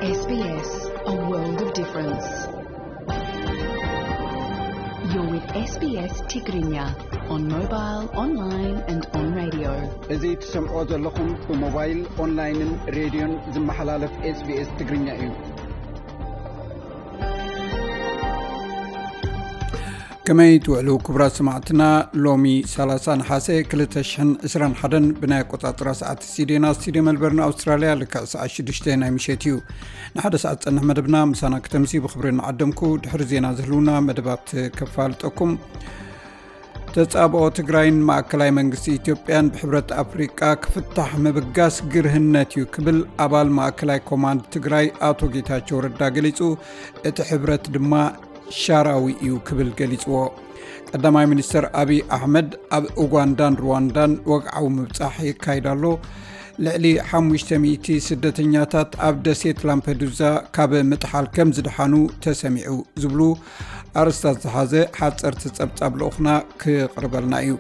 S B S, a world of difference. You're with S B S Tigrinya on mobile, online and on radio. እዚ ትሰምዖ ዘለኹም ብሞባይል፣ ኦንላይንን ሬድዮን ዝመሓላለፍ SBS ትግርኛ እዩ። ከመይ ትውዕሉ ክቡራት ሰማዕትና? ሎሚ ሰላሳ ነሓሰ ክልተ ሽሕን ዕስራን ሓደን ብናይ ኣቆጻጽራ ሰዓት ስቱዲዮና፣ ስቱዲዮ መልበርን ኣውስትራልያ፣ ልክዕ ሰዓት ሽዱሽተ ናይ ምሸት እዩ። ንሓደ ሰዓት ዝጸንሕ መደብና ምሳና ክተምሲ ብኽብሪ ንዓደምኩ። ድሕሪ ዜና ዝህልውና መደባት ከፋልጠኩም። ተጻብኦ ትግራይን ማእከላይ መንግስቲ ኢትዮጵያን ብሕብረት ኣፍሪቃ ክፍታሕ ምብጋስ ግርህነት እዩ ክብል ኣባል ማእከላይ ኮማንድ ትግራይ ኣቶ ጌታቸው ረዳ ገሊጹ። እቲ ሕብረት ድማ ሻራዊ እዩ ክብል ገሊጽዎ። ቀዳማይ ሚኒስትር ኣብይ ኣሕመድ ኣብ ኡጋንዳን ሩዋንዳን ወግዓዊ ምብጻሕ የካይድ ኣሎ። ልዕሊ ሓሙሽተ ሚእቲ ስደተኛታት ኣብ ደሴት ላምፐዱዛ ካብ ምጥሓል ከም ዝደሓኑ ተሰሚዑ ዝብሉ ኣርእስታት ዝሓዘ ሓጸርቲ ጸብጻብ ልኡኽና ክቕርበልና እዩ።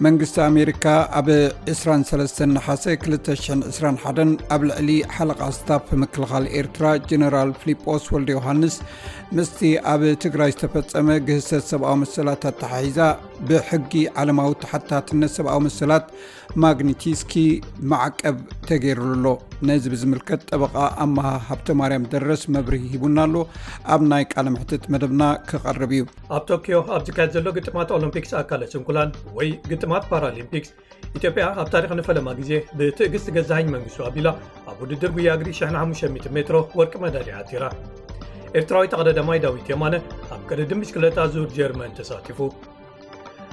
መንግስቲ ኣሜሪካ ኣብ ዕስራን ሰለስተን ነሓሰ ክልተ ሽሕን ዕስራን ሓደን ኣብ ልዕሊ ሓለቓ ስታፍ ምክልኻል ኤርትራ ጀነራል ፊሊጶስ ወልደ ዮሃንስ ምስቲ ኣብ ትግራይ ዝተፈጸመ ግህሰት ሰብኣዊ መሰላት ኣተሓሒዛ ብሕጊ ዓለማዊ ተሓታትነት ሰብኣዊ መሰላት ማግኒቲስኪ ማዕቀብ ተገይሩሉ ኣሎ። ነዚ ብዝምልከት ጠበቓ ኣመሃ ሃብተ ማርያም ደረስ መብርሂ ሂቡና ኣሎ። ኣብ ናይ ቃለ መሕትት መደብና ክቐርብ እዩ። ኣብ ቶኪዮ ኣብ ዝካየድ ዘሎ ግጥማት ኦሎምፒክስ ኣካለ ስንኩላን ወይ ግጥማት ፓራሊምፒክስ፣ ኢትዮጵያ ኣብ ታሪኽ ንፈለማ ግዜ ብትዕግስቲ ገዛኸኝ መንግስቱ ኣቢላ ኣብ ውድድር ጉያ እግሪ ሽሕን ሓሙሽተ ሚእትን ሜትሮ ወርቂ መዳልያ ኣቲራ። ኤርትራዊ ተቐዳዳማይ ዳዊት የማነ ኣብ ቅድድም ብሽክለታ ዙር ጀርመን ተሳቲፉ።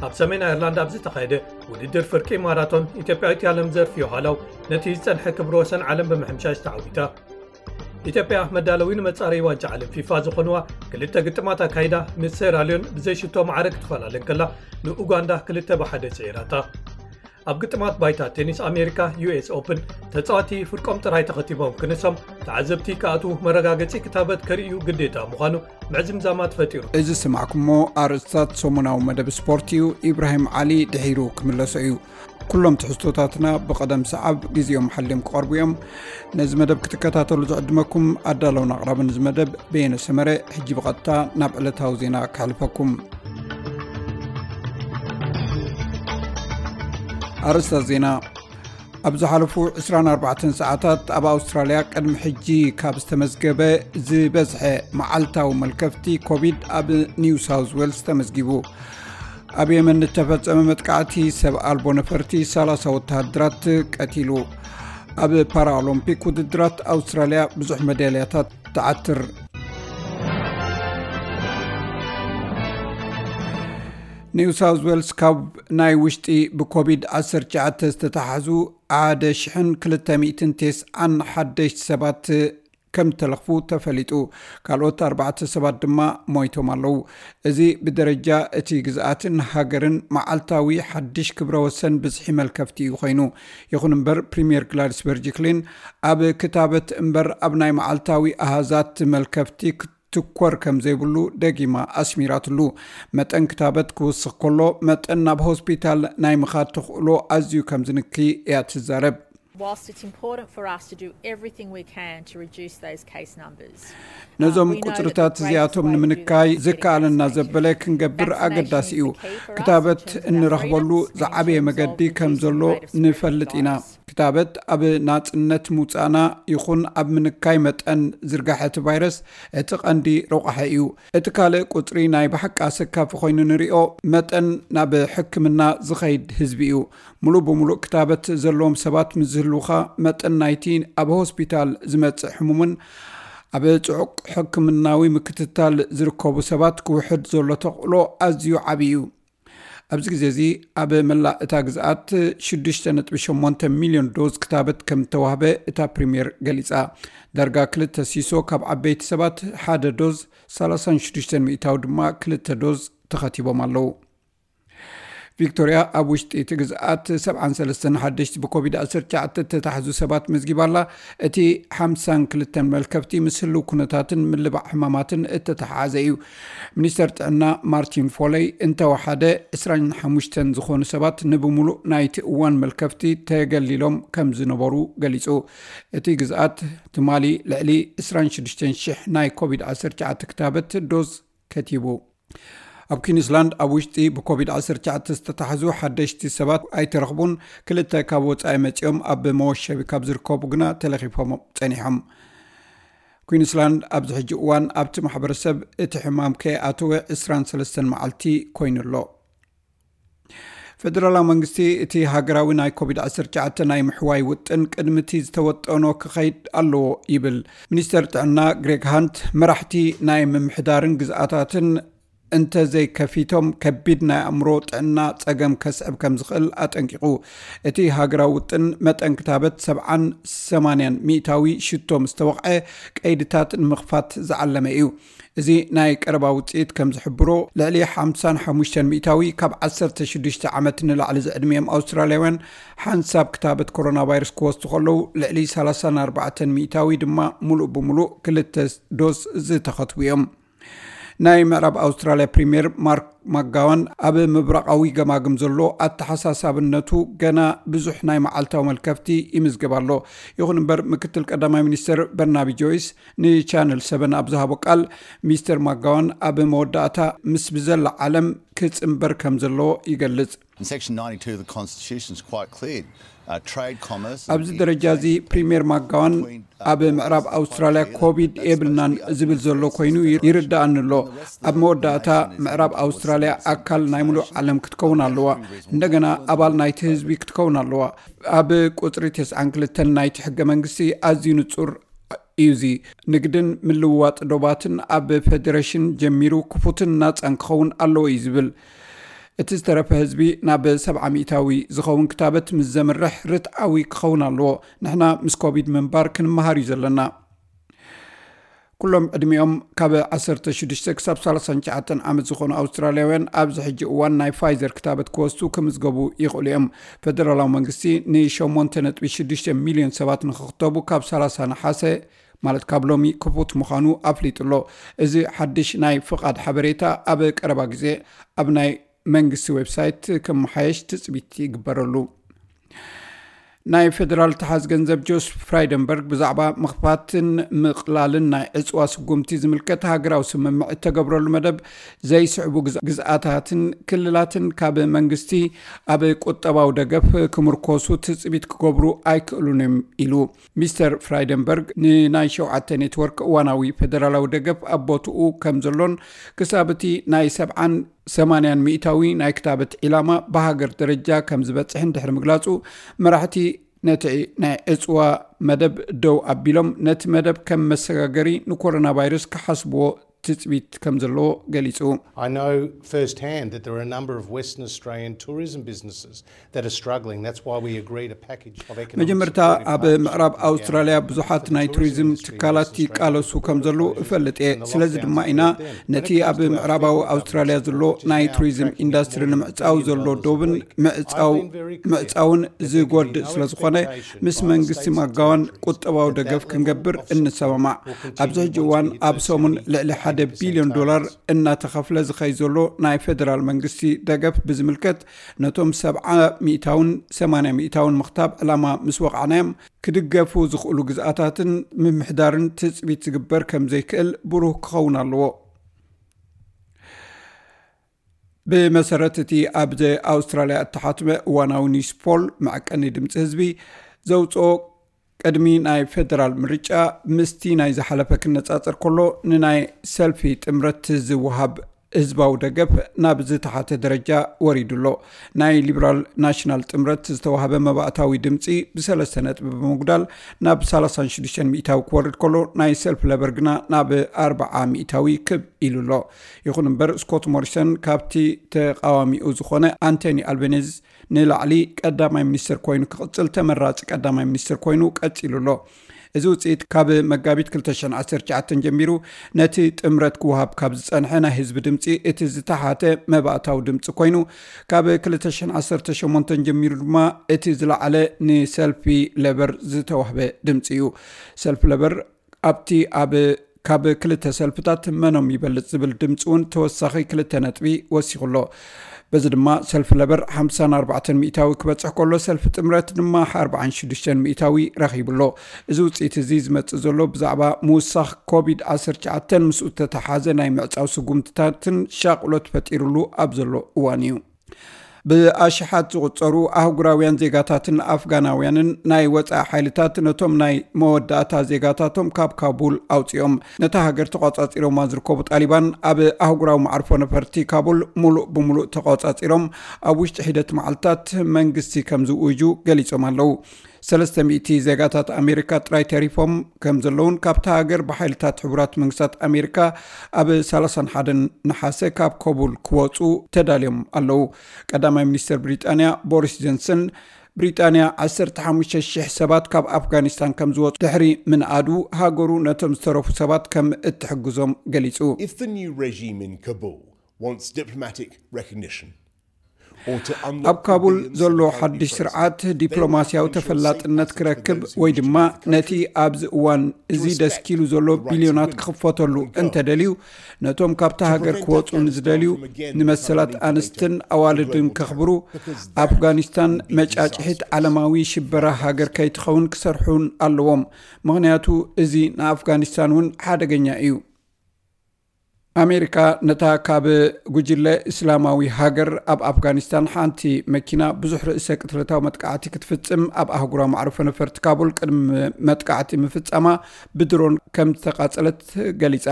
ኣብ ሰሜን ኣየርላንድ ኣብ ዝተኻየደ ውድድር ፍርቂ ማራቶን፣ ኢትዮጵያዊት ያለምዘር ፊዮሃላው ነቲ ዝጸንሐ ክብረ ወሰን ዓለም ብምሕምሻሽ ተዓዊታ። ኢትዮጵያ መዳለዊ ንመጻረዪ ዋንጫ ዓለም ፊፋ ዝኾንዋ ክልተ ግጥማት ኣካይዳ፣ ምስ ሴራልዮን ብዘይ ሽቶ ማዕረ ክትፈላለ እንከላ፣ ንኡጋንዳ ክልተ ብሓደ ጽዒራታ። ኣብ ግጥማት ባይታ ቴኒስ ኣሜሪካ ዩ ኤስ ኦፕን፣ ተጻወቲ ፍርቆም ጥራይ ተኸቲቦም ክንሶም፣ ተዓዘብቲ ክኣትዉ መረጋገጺ ክታበት ከርእዩ ግዴታ ምዃኑ ምዕዝምዛማት ፈጢሩ። እዚ ዝሰማዕኩሞ ኣርእስታት ሰሙናዊ መደብ ስፖርት እዩ። ኢብራሂም ዓሊ ድሒሩ ክምለሶ እዩ። ኩሎም ትሕዝቶታትና ብቐደም ሰዓብ ግዜኦም ሓልዮም ክቐርቡ እዮም። ነዚ መደብ ክትከታተሉ ዝዕድመኩም ኣዳለውን ኣቕራብን እዚ መደብ በየነ ሰመረ። ሕጂ ብቐጥታ ናብ ዕለታዊ ዜና ከሕልፈኩም። ኣርእስታት ዜና። ኣብ ዝሓለፉ ዕስራን ኣርባዕተን ሰዓታት ኣብ ኣውስትራልያ ቅድሚ ሕጂ ካብ ዝተመዝገበ ዝበዝሐ መዓልታዊ መልከፍቲ ኮቪድ ኣብ ኒው ሳውዝ ዌልስ ተመዝጊቡ። ኣብ የመን ዝተፈጸመ መጥቃዕቲ ሰብ ኣልቦ ነፈርቲ ሰላሳ ወተሃደራት ቀቲሉ። ኣብ ፓራኦሎምፒክ ውድድራት ኣውስትራልያ ብዙሕ መዳልያታት ትዓትር። ኒው ሳውዝ ዌልስ ካብ ናይ ውሽጢ ብኮቪድ ዓሰርተ ትሽዓተ ዝተታሕዙ ሓደ ሽሕን ክልተ ሚእትን ተስዓን ሓደሽቲ ሰባት ከም ተለኽፉ ተፈሊጡ። ካልኦት ኣርባዕተ ሰባት ድማ ሞይቶም ኣለዉ። እዚ ብደረጃ እቲ ግዝኣትን ሃገርን መዓልታዊ ሓድሽ ክብረ ወሰን ብዝሒ መልከፍቲ እዩ ኮይኑ። ይኹን እምበር ፕሪምየር ግላድስ በርጅክሊን ኣብ ክታበት እምበር ኣብ ናይ መዓልታዊ ኣሃዛት መልከፍቲ ክትኮር ከም ዘይብሉ ደጊማ ኣስሚራትሉ። መጠን ክታበት ክውስኽ ከሎ መጠን ናብ ሆስፒታል ናይ ምኻድ ተኽእሎ ኣዝዩ ከም ዝንኪ እያ ትዛረብ። Whilst it's important for us to do everything we can to reduce those case numbers, ነዞም ቁፅርታት እዚኣቶም ንምንካይ ዝከኣለና ዘበለ ክንገብር ኣገዳሲ እዩ። ክታበት እንረኽበሉ ዝዓበየ መገዲ ከም ዘሎ ንፈልጥ ኢና። ክታበት ኣብ ናፅነት ምውፃእና ይኹን ኣብ ምንካይ መጠን ዝርጋሐ እቲ ቫይረስ እቲ ቀንዲ ረቋሒ እዩ። እቲ ካልእ ቁፅሪ ናይ ብሓቂ ኣሰካፊ ኮይኑ ንሪኦ መጠን ናብ ሕክምና ዝኸይድ ህዝቢ እዩ። ሙሉእ ብሙሉእ ክታበት ዘለዎም ሰባት ምስ ዝህልውኻ መጠን ናይቲ ኣብ ሆስፒታል ዝመጽእ ሕሙምን ኣብ ጽዑቕ ሕክምናዊ ምክትታል ዝርከቡ ሰባት ክውሕድ ዘሎ ተኽእሎ ኣዝዩ ዓቢ እዩ። ኣብዚ ግዜ እዚ ኣብ መላእ እታ ግዝኣት ሽዱሽተ ነጥቢ ሸሞንተ ሚልዮን ዶዝ ክታበት ከም እተዋህበ እታ ፕሪምየር ገሊጻ። ዳርጋ ክልተ ሲሶ ካብ ዓበይቲ ሰባት ሓደ ዶዝ፣ ሰላሳን ሽዱሽተን ሚእታዊ ድማ ክልተ ዶዝ ተኸቲቦም ኣለዉ። ቪክቶርያ ኣብ ውሽጢ እቲ ግዝኣት ሰብዓን ሰለስተን ሓደሽቲ ብኮቪድ ዓሰርተ ትሽዓተ እተታሕዙ ሰባት መዝጊባ ኣላ። እቲ ሓምሳን ክልተን መልከፍቲ ምስ ህልው ኩነታትን ምልባዕ ሕማማትን እተተሓሓዘ እዩ። ሚኒስተር ጥዕና ማርቲን ፎለይ እንተወሓደ ዕስራን ሓሙሽተን ዝኾኑ ሰባት ንብሙሉእ ናይቲ እዋን መልከፍቲ ተገሊሎም ከም ዝነበሩ ገሊጹ። እቲ ግዝኣት ትማሊ ልዕሊ ዕስራን ሽዱሽተን ሽሕ ናይ ኮቪድ ዓሰርተ ትሽዓተ ክታበት ዶዝ ከቲቡ። ኣብ ኩዊንስላንድ ኣብ ውሽጢ ብኮቪድ ዓሰርተ ትሽዓተ ዝተታሕዙ ሓደሽቲ ሰባት ኣይተረኽቡን። ክልተ ካብ ወጻኢ መጺኦም ኣብ መወሸቢ ካብ ዝርከቡ ግና ተለኺፎም ጸኒሖም። ኩዊንስላንድ ኣብዚ ሕጂ እዋን ኣብቲ ማሕበረሰብ እቲ ሕማም ከይኣተወ ዕስራን ሰለስተን መዓልቲ ኮይኑ ኣሎ። ፌደራላዊ መንግስቲ እቲ ሃገራዊ ናይ ኮቪድ ዓሰርተ ትሽዓተ ናይ ምሕዋይ ውጥን ቅድሚ እቲ ዝተወጠኖ ክኸይድ ኣለዎ ይብል። ሚኒስተር ጥዕና ግሬግ ሃንት፣ መራሕቲ ናይ ምምሕዳርን ግዝኣታትን እንተዘይከፊቶም ከቢድ ናይ ኣእምሮ ጥዕና ጸገም ከስዕብ ከም ዝኽእል ኣጠንቂቑ። እቲ ሃገራዊ ውጥን መጠን ክታበት ሰብዓን ሰማንያን ሚእታዊ ሽቶ ምስ ተወቕዐ ቀይድታት ንምኽፋት ዝዓለመ እዩ። እዚ ናይ ቀረባ ውጽኢት ከም ዝሕብሮ፣ ልዕሊ ሓምሳን ሓሙሽተን ሚእታዊ ካብ ዓሰርተ ሽዱሽተ ዓመት ንላዕሊ ዝዕድሚኦም ኣውስትራልያውያን ሓንሳብ ክታበት ኮሮና ቫይረስ ክወስዱ ከለዉ፣ ልዕሊ ሰላሳን ኣርባዕተን ሚእታዊ ድማ ሙሉእ ብሙሉእ ክልተ ዶስ ዝተኸትቡ እዮም። ናይ ምዕራብ ኣውስትራልያ ፕሪምየር ማርክ ማክጋዋን ኣብ ምብራቓዊ ገማግም ዘሎ ኣተሓሳሳብነቱ ገና ብዙሕ ናይ መዓልታዊ መልከፍቲ ይምዝገብ ኣሎ። ይኹን እምበር፣ ምክትል ቀዳማይ ሚኒስትር በርናቢ ጆይስ ንቻነል ሰቨን ኣብ ዝሃቦ ቃል፣ ሚስተር ማክጋዋን ኣብ መወዳእታ ምስ ብዘላ ዓለም ክጽንበር ከም ዘለዎ ይገልጽ። In section ninety-two of the Constitution is quite clear. Uh, trade, commerce, and ኣብዚ ደረጃ እዚ ፕሪምየር ማክጋዋን ኣብ ምዕራብ ኣውስትራልያ ኮቪድ የብልናን ዝብል ዘሎ ኮይኑ ይርዳኣኒ ኣሎ። ኣብ መወዳእታ ምዕራብ ኣውስትራልያ ኣካል ናይ ሙሉእ ዓለም ክትከውን ኣለዋ። እንደገና ኣባል ናይቲ ህዝቢ ክትከውን ኣለዋ። ኣብ ቁጽሪ ተስዓን ክልተን ናይቲ ሕገ መንግስቲ ኣዝዩ ንጹር እዩ። እዚ ንግድን ምልውዋጥ ዶባትን ኣብ ፌደሬሽን ጀሚሩ ክፉትን ናጻን ክኸውን ኣለዎ እዩ ዝብል። እቲ ዝተረፈ ህዝቢ ናብ ሰብዓ ሚእታዊ ዝኸውን ክታበት ምስ ዘምርሕ ርትዓዊ ክኸውን ኣለዎ። ንሕና ምስ ኮቪድ ምንባር ክንመሃር እዩ ዘለና። ኩሎም ዕድሚኦም ካብ ዓሰርተ ሽዱሽተ ክሳብ ሰላሳን ትሽዓተን ዓመት ዝኾኑ ኣውስትራልያውያን ኣብዚ ሕጂ እዋን ናይ ፋይዘር ክታበት ክወስዱ ክምዝገቡ ይኽእሉ እዮም። ፌደራላዊ መንግስቲ ንሸሞንተ ነጥቢ ሽዱሽተ ሚልዮን ሰባት ንኽኽተቡ ካብ ሰላሳ ነሓሰ፣ ማለት ካብ ሎሚ ክፉት ምዃኑ ኣፍሊጡ ኣሎ። እዚ ሓድሽ ናይ ፍቓድ ሓበሬታ ኣብ ቀረባ ግዜ ኣብ ናይ መንግስቲ ዌብሳይት ክመሓየሽ ትጽቢት ይግበረሉ። ናይ ፌደራል ተሓዝ ገንዘብ ጆስ ፍራይደንበርግ ብዛዕባ ምኽፋትን ምቕላልን ናይ ዕጽዋ ስጉምቲ ዝምልከት ሃገራዊ ስምምዕ እተገብረሉ መደብ ዘይስዕቡ ግዝ-፣ ግዝኣታትን ክልላትን ካብ መንግስቲ ኣብ ቁጠባዊ ደገፍ ክምርኮሱ ትጽቢት ክገብሩ ኣይክእሉን እዮም ኢሉ። ሚስተር ፍራይደንበርግ ንናይ ሸውዓተ ኔትወርክ እዋናዊ ፌደራላዊ ደገፍ ኣብ ቦትኡ ከም ዘሎን ክሳብ እቲ ናይ ሰብዓን ሰማንያን ሚእታዊ ናይ ክታበት ዒላማ ብሃገር ደረጃ ከም ዝበጽሕን ድሕሪ ምግላጹ፣ መራሕቲ ነቲ ናይ ዕጽዋ መደብ ደው ኣቢሎም፣ ነቲ መደብ ከም መሰጋገሪ ንኮሮና ቫይረስ ክሓስብዎ ትጽቢት ከም ዘለዎ ገሊጹ። I know firsthand that there are a number of Western Australian tourism businesses that are struggling. That's why we agreed a package of economic መጀመርታ፣ ኣብ ምዕራብ ኣውስትራልያ ብዙሓት ናይ ቱሪዝም ትካላት ይቃለሱ ከም ዘለዉ እፈልጥ እየ። ስለዚ ድማ ኢና ነቲ ኣብ ምዕራባዊ ኣውስትራልያ ዘሎ ናይ ቱሪዝም ኢንዱስትሪ ንምዕጻው ዘሎ ዶብን ምዕጻው-፣ ምዕጻውን ዝጎድእ ስለ ዝኾነ፣ ምስ መንግስቲ ማጋዋን ቁጠባዊ ደገፍ ክንገብር እንሰማማዕ። ኣብዚ ሕጂ እዋን ኣብ ሰሙን ልዕሊ ሓደ ቢልዮን ዶላር እናተኸፍለ ዝኸይ ዘሎ ናይ ፌደራል መንግስቲ ደገፍ ብዝምልከት፣ ነቶም ሰብዓ ሚእታውን ሰማንያ ሚእታውን ምኽታብ ዕላማ ምስ ወቕዕናዮም፣ ክድገፉ ዝኽእሉ ግዝኣታትን ምምሕዳርን ትጽቢት ዝግበር ከም ዘይክእል ብሩህ ክኸውን ኣለዎ። ብመሰረት እቲ ኣብ ኣውስትራልያ እተሓትመ እዋናዊ ኒውስ ፖል፣ መዐቀኒ ድምፂ ህዝቢ ዘውፅኦ፣ ቅድሚ ናይ ፌደራል ምርጫ ምስቲ ናይ ዝሓለፈ ክነጻጸር ከሎ፣ ንናይ ሰልፊ ጥምረት ዝወሃብ ህዝባዊ ደገፍ ናብ ዝተሓተ ደረጃ ወሪዱ ኣሎ። ናይ ሊበራል ናሽናል ጥምረት ዝተዋህበ መባእታዊ ድምፂ ብሰለስተ ነጥቢ ብምጉዳል ናብ ሰላሳን ሽዱሽተን ሚእታዊ ክወርድ ከሎ፣ ናይ ሰልፊ ለበር ግና ናብ ኣርብዓ ሚእታዊ ክብ ኢሉ ኣሎ። ይኹን እምበር፣ ስኮት ሞሪሰን ካብቲ ተቓዋሚኡ ዝኾነ ኣንቶኒ ኣልቤኒዝ ንላዕሊ ቀዳማይ ሚኒስትር ኮይኑ ክቕጽል ተመራጺ ቀዳማይ ሚኒስትር ኮይኑ ቀጺሉ ኣሎ። እዚ ውፅኢት ካብ መጋቢት ክልተ ሽሕን ዓሰርተ ትሽዓተን ጀሚሩ ነቲ ጥምረት ክወሃብ ካብ ዝፀንሐ ናይ ህዝቢ ድምፂ እቲ ዝተሓተ መባእታዊ ድምፂ ኮይኑ፣ ካብ ክልተ ሽሕን ዓሰርተ ሸሞንተን ጀሚሩ ድማ እቲ ዝለዓለ ንሰልፊ ለበር ዝተዋህበ ድምፂ እዩ። ሰልፊ ለበር ኣብቲ ኣብ ካብ ክልተ ሰልፍታት መኖም ይበልፅ ዝብል ድምፂ እውን ተወሳኺ ክልተ ነጥቢ ወሲኹ ኣሎ። በዚ ድማ ሰልፊ ለበር ሓምሳን ኣርባዕተን ሚእታዊ ክበፅሕ ከሎ፣ ሰልፊ ጥምረት ድማ ኣርባዓን ሽዱሽተን ሚእታዊ ረኺቡ ኣሎ። እዚ ውፅኢት እዚ ዝመፅእ ዘሎ ብዛዕባ ምውሳኽ ኮቪድ ዓሰርተ ትሽዓተን ምስኡ ዝተተሓዘ ናይ ምዕፃው ስጉምትታትን ሻቕሎት ፈጢሩሉ ኣብ ዘሎ እዋን እዩ። ብኣሽሓት ዝቑጸሩ ኣህጉራውያን ዜጋታትን ኣፍጋናውያንን ናይ ወጻኢ ሓይልታት ነቶም ናይ መወዳእታ ዜጋታቶም ካብ ካቡል ኣውጺኦም። ነታ ሃገር ተቖጻጺሮማ ዝርከቡ ጣሊባን ኣብ ኣህጉራዊ መዓርፎ ነፈርቲ ካቡል ሙሉእ ብሙሉእ ተቖጻጺሮም ኣብ ውሽጢ ሒደት መዓልታት መንግስቲ ከም ዝውእጁ ገሊጾም ኣለዉ። ሰለስተ ሚእቲ ዜጋታት ኣሜሪካ ጥራይ ተሪፎም ከም ዘለውን ካብታ ሃገር ብሓይልታት ሕቡራት መንግስታት ኣሜሪካ ኣብ ሰላሳን ሓደን ነሓሰ ካብ ኮቡል ክወፁ ተዳልዮም ኣለዉ። ቀዳማይ ሚኒስትር ብሪጣንያ ቦሪስ ጆንሰን፣ ብሪጣንያ ዓሰርተ ሓሙሽተ ሽሕ ሰባት ካብ ኣፍጋኒስታን ከም ዝወፁ ድሕሪ ምንኣዱ፣ ሃገሩ ነቶም ዝተረፉ ሰባት ከም እትሕግዞም ገሊፁ። If the new regime in Kabul wants diplomatic recognition, ኣብ ካቡል ዘሎ ሓድሽ ስርዓት ዲፕሎማስያዊ ተፈላጥነት ክረክብ ወይ ድማ ነቲ ኣብዚ እዋን እዚ ደስኪሉ ዘሎ ቢልዮናት ክኽፈተሉ እንተደልዩ፣ ነቶም ካብታ ሃገር ክወፁ ንዝደልዩ ንመሰላት ኣንስትን ኣዋልድን ከኽብሩ፣ ኣፍጋኒስታን መጫጭሒት ዓለማዊ ሽበራ ሃገር ከይትኸውን ክሰርሑን ኣለዎም። ምኽንያቱ እዚ ንኣፍጋኒስታን እውን ሓደገኛ እዩ። ኣሜሪካ ነታ ካብ ጉጅለ እስላማዊ ሃገር ኣብ ኣፍጋኒስታን ሓንቲ መኪና ብዙሕ ርእሰ ቅትለታዊ መጥቃዕቲ ክትፍጽም ኣብ ኣህጉራዊ መዕርፎ ነፈርቲ ካቡል ቅድሚ መጥቃዕቲ ምፍጻማ ብድሮን ከም ዝተቓጸለት ገሊጻ።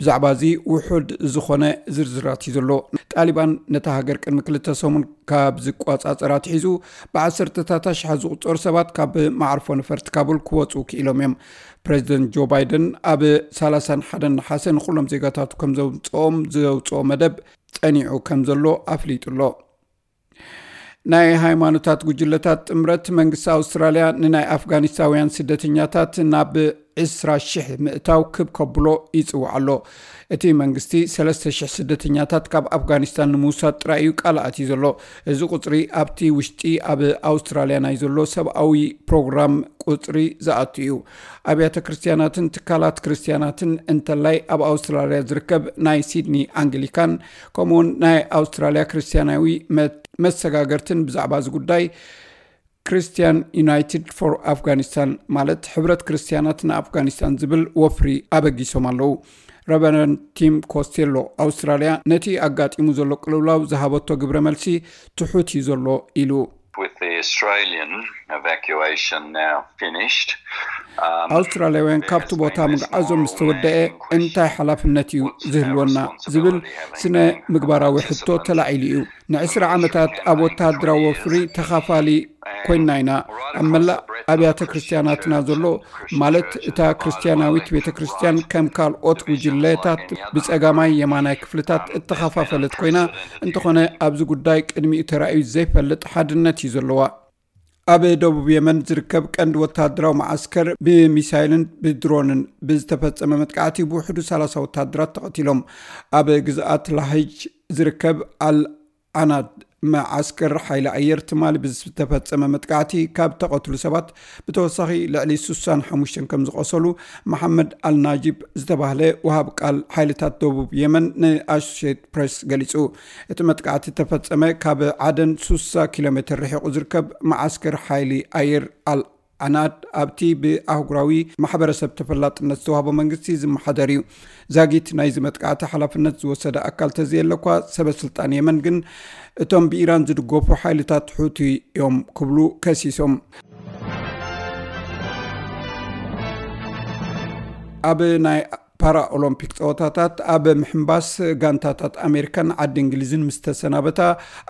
ብዛዕባ እዚ ውሑድ ዝኾነ ዝርዝራት እዩ ዘሎ። ጣሊባን ነታ ሃገር ቅድሚ ክልተ ሰሙን ካብ ዝቆጻጸራ ኣትሒዙ ብዓሰርተታት ኣሽሓት ዝቑጸሩ ሰባት ካብ መዓርፎ ነፈርቲ ካቡል ክወጹ ክኢሎም እዮም። ፕሬዚደንት ጆ ባይደን ኣብ ሰላሳን ሓደን ነሓሰ ንኹሎም ዜጋታቱ ከም ዘምጽኦም ዘውጽኦ መደብ ጸኒዑ ከም ዘሎ ኣፍሊጡ ኣሎ። ናይ ሃይማኖታት ጉጅለታት ጥምረት መንግስቲ ኣውስትራልያ ንናይ ኣፍጋኒስታውያን ስደተኛታት ናብ ዕስራ ሽሕ ምእታው ክብ ከብሎ ይጽውዕ ኣሎ። እቲ መንግስቲ ሰለስተ ሽሕ ስደተኛታት ካብ ኣፍጋኒስታን ንምውሳድ ጥራይ እዩ ቃል ኣትዩ ዘሎ። እዚ ቁጽሪ ኣብቲ ውሽጢ ኣብ ኣውስትራልያ ናይ ዘሎ ሰብኣዊ ፕሮግራም ቁጽሪ ዝኣቱ እዩ። ኣብያተ ክርስትያናትን ትካላት ክርስትያናትን እንተላይ ኣብ ኣውስትራልያ ዝርከብ ናይ ሲድኒ ኣንግሊካን ከምኡውን ናይ ኣውስትራልያ ክርስትያናዊ መ-፣ መሰጋገርትን ብዛዕባ እዚ ጉዳይ ክርስትያን ዩናይትድ ፎር ኣፍጋኒስታን ማለት ሕብረት ክርስትያናት ንኣፍጋኒስታን ዝብል ወፍሪ ኣበጊሶም ኣለዉ። ረቨረንድ ቲም ኮስቴሎ ኣውስትራልያ ነቲ ኣጋጢሙ ዘሎ ቅልውላው ዝሃበቶ ግብረ መልሲ ትሑት እዩ ዘሎ ኢሉ። With the Australian evacuation now finished, um, ኣውስትራልያውያን ካብቲ ቦታ ምግዓዞም ምስ ተወደአ እንታይ ሓላፍነት እዩ ዝህልወና ዝብል ስነ ምግባራዊ ሕቶ ተላዒሉ እዩ። ንዕስራ ዓመታት ኣብ ወተሃደራዊ ወፍሪ ተኻፋሊ ኮይንና ኢና። ኣብ መላእ ኣብያተ ክርስትያናትና ዘሎ ማለት እታ ክርስትያናዊት ቤተ ክርስትያን ከም ካልኦት ጉጅለታት ብጸጋማይ የማናይ ክፍልታት እተኸፋፈለት ኮይና፣ እንተኾነ ኣብዚ ጉዳይ ቅድሚኡ ተራእዩ ዘይፈልጥ ሓድነት እዩ ዘለዋ። ኣብ ደቡብ የመን ዝርከብ ቀንዲ ወተሃደራዊ መዓስከር ብሚሳይልን ብድሮንን ብዝተፈጸመ መጥቃዕቲ ብውሕዱ ሰላሳ ወተሃደራት ተቐቲሎም። ኣብ ግዝኣት ላህጅ ዝርከብ ኣል ዓናድ መዓስከር ሓይሊ ኣየር ትማሊ ብዝተፈጸመ መጥቃዕቲ ካብ ተቐትሉ ሰባት ብተወሳኺ ልዕሊ ስሳን ሓሙሽተን ከም ዝቖሰሉ መሓመድ ኣልናጂብ ዝተባህለ ወሃብ ቃል ሓይልታት ደቡብ የመን ንኣሶሼትድ ፕሬስ ገሊጹ። እቲ መጥቃዕቲ ተፈጸመ ካብ ዓደን ስሳ ኪሎ ሜትር ርሒቑ ዝርከብ መዓስከር ሓይሊ ኣየር ኣል ዓናድ ኣብቲ ብኣህጉራዊ ማሕበረሰብ ተፈላጥነት ዝተዋህቦ መንግስቲ ዝመሓደር እዩ። ዛጊት ናይዚ መጥቃዕቲ ሓላፍነት ዝወሰደ ኣካል ተዘየለ እኳ፣ ሰበ ስልጣን የመን ግን እቶም ብኢራን ዝድገፉ ሓይልታት ሑቲ እዮም ክብሉ ከሲሶም። ኣብ ናይ ፓራ ኦሎምፒክ ጸወታታት ኣብ ምሕንባስ፣ ጋንታታት ኣሜሪካን ዓዲ እንግሊዝን ምስ ተሰናበታ፣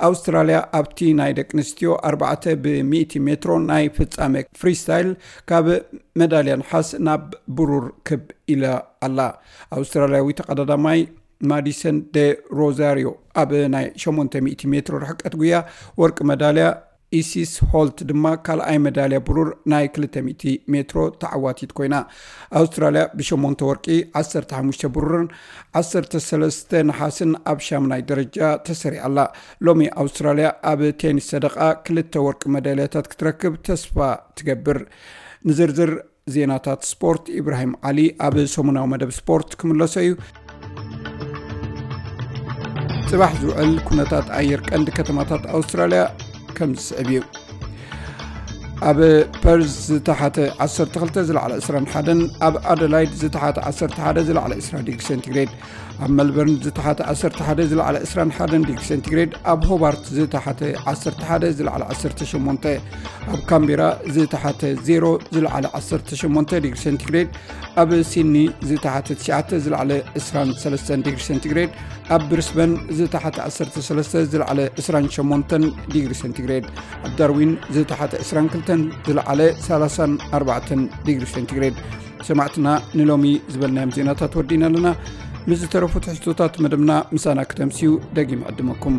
ኣውስትራልያ ኣብቲ ናይ ደቂ ኣንስትዮ ኣርባዕተ ብሚእቲ ሜትሮ ናይ ፍጻመ ፍሪስታይል ካብ መዳልያ ነሓስ ናብ ብሩር ክብ ኢላ ኣላ። ኣውስትራልያዊ ተቐዳዳማይ ማዲሰን ደ ሮዛሪዮ ኣብ ናይ ሸሞንተ ሚእቲ ሜትሮ ርሕቀት ጉያ ወርቂ መዳልያ ኢሲስ ሆልት ድማ ካልኣይ መዳልያ ብሩር ናይ ክልተ ሚእቲ ሜትሮ ተዓዋቲት ኮይና። ኣውስትራልያ ብሸሞንተ ወርቂ፣ ዓሰርተ ሓሙሽተ ብሩርን ዓሰርተ ሰለስተ ነሓስን ኣብ ሻምናይ ደረጃ ተሰሪዓ ኣላ። ሎሚ ኣውስትራልያ ኣብ ቴኒስ ሰደቓ ክልተ ወርቂ መዳልያታት ክትረክብ ተስፋ ትገብር። ንዝርዝር ዜናታት ስፖርት ኢብራሂም ዓሊ ኣብ ሰሙናዊ መደብ ስፖርት ክምለሶ እዩ። ጽባሕ ዝውዕል ኩነታት ኣየር ቀንዲ ከተማታት ኣውስትራልያ ከም ዝስዕብ እዩ። ኣብ ፐርዝ ዝተሓተ ዓሰርተ ክልተ፣ ዝለዓለ ዕስራን ሓደን፣ ኣብ ኣደላይድ ዝተሓተ ዓሰርተ ሓደ፣ ዝለዓለ ዕስራ ዲግሪ ሴንቲግሬድ፣ ኣብ መልበርን ዝተሓተ ዓሰርተ ሓደ፣ ዝለዓለ ዕስራን ሓደን ዲግሪ ሴንቲግሬድ፣ ኣብ ሆባርት ዝተሓተ ዓሰርተ ሓደ፣ ዝለዓለ ዓሰርተ ሸሞንተ፣ ኣብ ካምቤራ ዝተሓተ ዜሮ፣ ዝለዓለ ዓሰርተ ሸሞንተ ዲግሪ ሴንቲግሬድ፣ ኣብ ሲድኒ ዝተሓተ ትሽዓተ፣ ዝለዓለ ዕስራን ሰለስተን ዲግሪ ሴንቲግሬድ፣ ኣብ ብሪስበን ዝተሓተ ዓሰርተ ሰለስተ፣ ዝለዓለ ዕስራን ሸሞንተን ዲግሪ ሴንቲግሬድ፣ ኣብ ዳርዊን ዝተሓተ ዕስራን ክልተን፣ ዝለዓለ ሰላሳን ኣርባዕተን ዲግሪ ሴንቲግሬድ። ሰማዕትና፣ ንሎሚ ዝበልናዮም ዜናታት ወዲእና ኣለና። ምስ ዝተረፉ ትሕዝቶታት መደብና ምሳና ክተምስዩ ደጊም ዕድመኩም።